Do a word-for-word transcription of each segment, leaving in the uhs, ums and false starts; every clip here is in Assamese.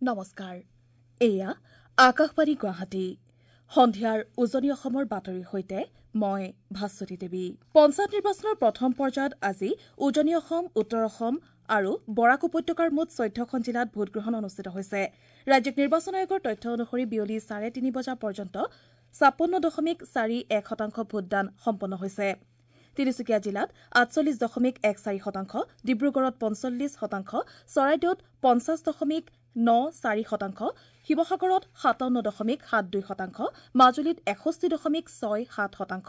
নমস্কাৰ, এয়া আকাশবাণী গুৱাহাটী। সন্ধিয়াৰ উজনি অসমৰ বাতৰিৰ সৈতে মই ভাস্বতী দেৱী। পঞ্চায়ত নিৰ্বাচনৰ প্ৰথম পৰ্যায়ত আজি উজনি অসম, উত্তৰ অসম আৰু বৰাক উপত্যকাৰ মুঠ চৈধ্যখন জিলাত ভোটগ্ৰহণ অনুষ্ঠিত হৈছে। ৰাজ্যিক নিৰ্বাচন আয়োগৰ তথ্য অনুসৰি বিয়লি চাৰে তিনি বজা পৰ্যন্ত ছাপন্ন দশমিক চাৰি এক শতাংশ ভোটদান সম্পন্ন হৈছে। তিনিচুকীয়া জিলাত আঠচল্লিছ দশমিক এক চাৰি শতাংশ, ডিব্ৰুগড়ত পঞ্চল্লিছ শতাংশ, চৰাইদেউত পঞ্চাছ দশমিক ন চাৰি শতাংশ, শিৱসাগৰত সাতাৱন্ন দশমিক সাত দুই শতাংশ, মাজুলীত এষষ্ঠি দশমিক ছয় সাত শতাংশ,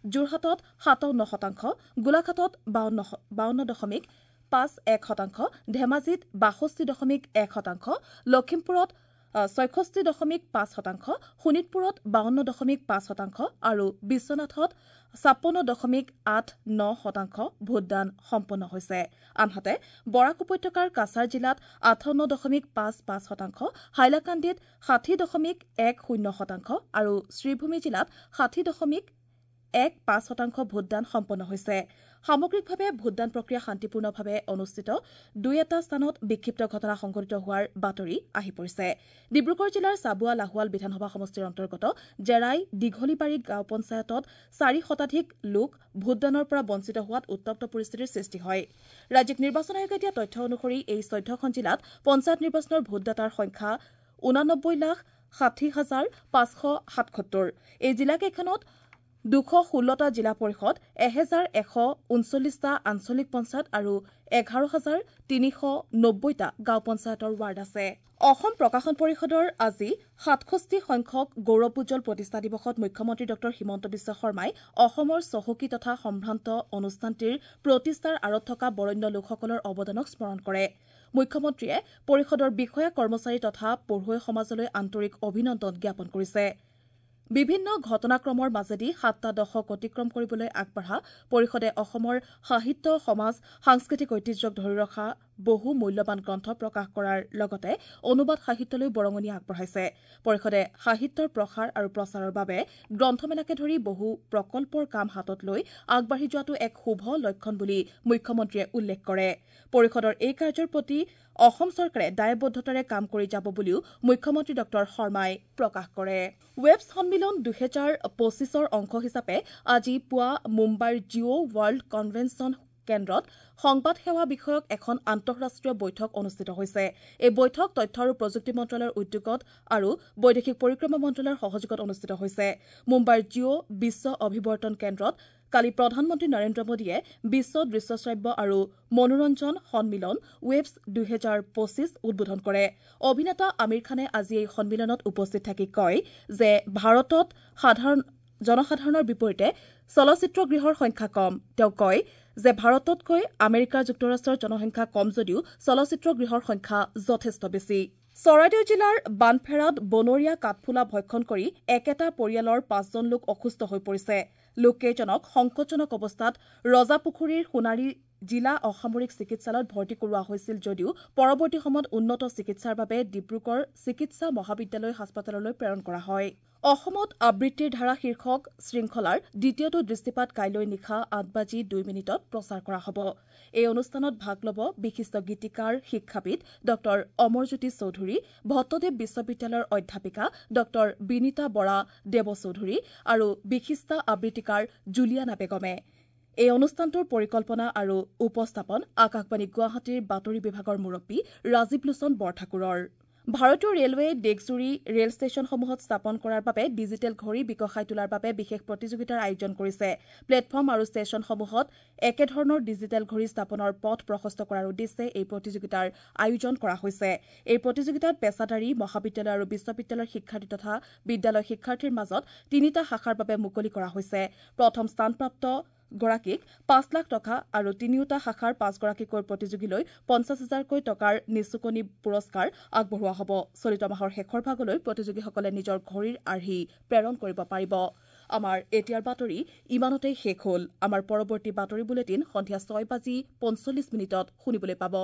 যোৰহাটত সাতাৱন্ন শতাংশ, গোলাঘাটত বাৱন্ন দশমিক পাঁচ এক শতাংশ, ধেমাজিত বাষষ্ঠি দশমিক এক শতাংশ, লখিমপুৰত ছয়ষষ্ঠি দশমিক পাঁচ শতাংশ, শোণিতপুৰত বাৱন্ন দশমিক পাঁচ শতাংশ আৰু বিশ্বনাথত ছাপন্ন দশমিক আঠ ন শতাংশ ভোটদান সম্পন্ন হৈছে। আনহাতে বৰাক উপত্যকাৰ কাছাৰ জিলাত আঠাৱন্ন দশমিক পাঁচ পাঁচ শতাংশ, হাইলাকান্দিত ষাঠি দশমিক এক শূন্য শতাংশ আৰু শ্ৰীভূমি জিলাত ষাঠি দশমিক এক পাঁচ শতাংশ ভোটদান সম্পন্ন হৈছে। সামগ্ৰিকভাৱে ভোটদান প্ৰক্ৰিয়া শান্তিপূৰ্ণভাৱে অনুষ্ঠিত। দুই এটা স্থানত বিক্ষিপ্ত ঘটনা সংঘটিত হোৱাৰ বাতৰি আহি পৰিছে। ডিব্ৰুগড় জিলাৰ চাবুৱা লাহোৱাল বিধানসভা সমষ্টিৰ অন্তৰ্গত জেৰাই দীঘলীবাৰী গাঁও পঞ্চায়তত চাৰি শতাধিক লোক ভোটদানৰ পৰা বঞ্চিত হোৱাত উত্তপ্ত পৰিস্থিতিৰ সৃষ্টি হয়। ৰাজ্যিক নিৰ্বাচন আয়োগে দিয়া তথ্য অনুসৰি এই চৈধ্যখন জিলাত পঞ্চায়ত নিৰ্বাচনৰ ভোটদাতাৰ সংখ্যা ঊনানব্বৈ লাখ ষাঠি হাজাৰ পাঁচশ সাতসত্তৰ। এই জিলাকেইখনত দুশ ষোল্লটা জিলা পৰিষদ, এহেজাৰ এশ ঊনচল্লিছটা আঞ্চলিক পঞ্চায়ত আৰু এঘাৰ হাজাৰ তিনিশ নব্বৈটা গাঁও পঞ্চায়তৰ ৱাৰ্ড আছে। অসম প্ৰকাশন পৰিষদৰ আজি সাতষষ্ঠি সংখ্যক গৌৰৱোজ্জ্বল প্ৰতিষ্ঠা দিৱসত মুখ্যমন্ত্ৰী ডঃ হিমন্ত বিশ্ব শৰ্মাই অসমৰ চহকী তথা সম্ভ্ৰান্ত অনুষ্ঠানটিৰ প্ৰতিষ্ঠাৰ আঁৰত থকা বৰেণ্য লোকসকলৰ অৱদানক স্মৰণ কৰে। মুখ্যমন্ত্ৰীয়ে পৰিষদৰ বিষয়া কৰ্মচাৰী তথা পঢ়ুৱৈ সমাজলৈ আন্তৰিক অভিনন্দন জ্ঞাপন কৰিছে। বিভিন্ন ঘটনাক্ৰমৰ মাজেদি সাতটা দশক অতিক্ৰম কৰিবলৈ আগবঢ়া পৰিষদে অসমৰ সাহিত্য, সমাজ, সাংস্কৃতিক ঐতিহ্যক ধৰি ৰখা বহু মূল্যৱান গ্ৰন্থ প্ৰকাশ কৰাৰ লগতে অনুবাদ সাহিত্যলৈ বৰঙণি আগবঢ়াইছে। পৰিষদে সাহিত্যৰ প্ৰসাৰ আৰু প্ৰচাৰৰ বাবে গ্ৰন্থমেলাকে ধৰি বহু প্ৰকল্পৰ কাম হাতত লৈ আগবাঢ়ি যোৱাটো এক শুভ লক্ষণ বুলি মুখ্যমন্ত্ৰীয়ে উল্লেখ কৰে। পৰিষদৰ এই কাৰ্যৰ প্ৰতি অসম চৰকাৰে দায়বদ্ধতাৰে কাম কৰি যাব বুলিও মুখ্যমন্ত্ৰী ডঃ শৰ্মাই প্ৰকাশ কৰে। ৱেবছ সন্মিলন দুহেজাৰ পঁচিছৰ অংশ হিচাপে আজি পুৱা মুম্বাইৰ জিঅ' ৱৰ্ল্ড কনভেনচন কেন্দ্ৰত সংবাদ সেৱা বিষয়ক এখন আন্তঃৰাষ্ট্ৰীয় বৈঠক অনুষ্ঠিত হৈছে। এই বৈঠক তথ্য আৰু প্ৰযুক্তি মন্ত্ৰালয়ৰ উদ্যোগত আৰু বৈদেশিক পৰিক্ৰমা মন্ত্ৰালয়ৰ সহযোগত অনুষ্ঠিত হৈছে। মুম্বাইৰ জিঅ' বিশ্ব অভিৱৰ্তন কেন্দ্ৰত কালি প্ৰধানমন্ত্ৰী নৰেন্দ্ৰ মোদীয়ে বিশ্ব দৃশ্যশ্ৰাব্য আৰু মনোৰঞ্জন সন্মিলন ৱেবছ দুহেজাৰ পঁচিছ উদ্বোধন কৰে। অভিনেতা আমিৰ খানে আজি এই সন্মিলনত উপস্থিত থাকি কয় যে ভাৰতত সাধাৰণ জনসাধাৰণৰ বিপৰীতে চলচ্চিত্ৰ গৃহৰ সংখ্যা কম। তেওঁ কয় যে ভাৰততকৈ আমেৰিকা যুক্তৰাষ্ট্ৰৰ জনসংখ্যা কম যদিও চলচ্চিত্ৰ গৃহৰ সংখ্যা যথেষ্ট বেছি। চৰাইদেউ জিলাৰ বানফেৰাত বনৰীয়া কাঠফুলা ভক্ষণ কৰি একেটা পৰিয়ালৰ পাঁচজন লোক অসুস্থ হৈ পৰিছে। লোককেইজনক সংকটজনক অৱস্থাত ৰজাপুখুৰীৰ সোণাৰী জিলা অসামৰিক চিকিৎসালয়ত ভৰ্তি কৰোৱা হৈছিল যদিও পৰৱৰ্তী সময়ত উন্নত চিকিৎসাৰ বাবে ডিব্ৰুগড় চিকিৎসা মহাবিদ্যালয় হাস্পতাললৈ প্ৰেৰণ কৰা হয়। অসমত আবৃত্তিৰ ধাৰা শীৰ্ষক শৃংখলাৰ দ্বিতীয়টো দৃষ্টিপাত কাইলৈ নিশা আঠ বাজি দুই মিনিটত প্ৰচাৰ কৰা হ'ব। এই অনুষ্ঠানত ভাগ ল'ব বিশিষ্ট গীতিকাৰ শিক্ষাবিদ ডঃ অমৰজ্যোতি চৌধুৰী, ভট্টদেৱ বিশ্ববিদ্যালয়ৰ অধ্যাপিকা ডঃ বিনীতা বৰা দেৱচৌধুৰী আৰু বিশিষ্ট আবৃত্তিকাৰ জুলিয়ানা বেগমে। এই অনুষ্ঠানটোৰ পৰিকল্পনা আৰু উপস্থাপন আকাশবাণী গুৱাহাটীৰ বাতৰি বিভাগৰ মুৰব্বী ৰাজীৱ লোচন বৰঠাকুৰৰ। ভাৰতীয় ৰেলৱে দেশজুৰি ৰেল ষ্টেচনসমূহত স্থাপন কৰাৰ বাবে ডিজিটেল ঘড়ী বিকশাই তোলাৰ বাবে বিশেষ প্ৰতিযোগিতাৰ আয়োজন কৰিছে। প্লেটফৰ্ম আৰু ষ্টেচনসমূহত একেধৰণৰ ডিজিটেল ঘড়ী স্থাপনৰ পথ প্ৰশস্ত কৰাৰ উদ্দেশ্যে এই প্ৰতিযোগিতাৰ আয়োজন কৰা হৈছে। এই প্ৰতিযোগিতাত পেছাদাৰী, মহাবিদ্যালয় আৰু বিশ্ববিদ্যালয়ৰ শিক্ষাৰ্থী তথা বিদ্যালয় শিক্ষাৰ্থীৰ মাজত তিনিটা শাখাৰ বাবে মুকলি কৰা হৈছে। প্ৰথম স্থানপ্ৰাপ্ত গৰাকীক পাঁচ লাখ টকা আৰু তিনিওটা শাখাৰ পাঁচগৰাকীকৈ প্ৰতিযোগীলৈ পঞ্চাছ হাজাৰকৈ টকাৰ নিচুকনি পুৰস্কাৰ আগবঢ়োৱা হ'ব। চলিত মাহৰ শেষৰ ভাগলৈ প্ৰতিযোগীসকলে নিজৰ ঘড়ীৰ আৰ্হি প্ৰেৰণ কৰিব পাৰিব। আমাৰ এতিয়াৰ বাতৰি ইমানতেই শেষ হ'ল। আমাৰ পৰৱৰ্তী বাতৰি বুলেটিন সন্ধিয়া ছয় বাজি পঞ্চল্লিছ মিনিটত শুনিবলৈ পাব।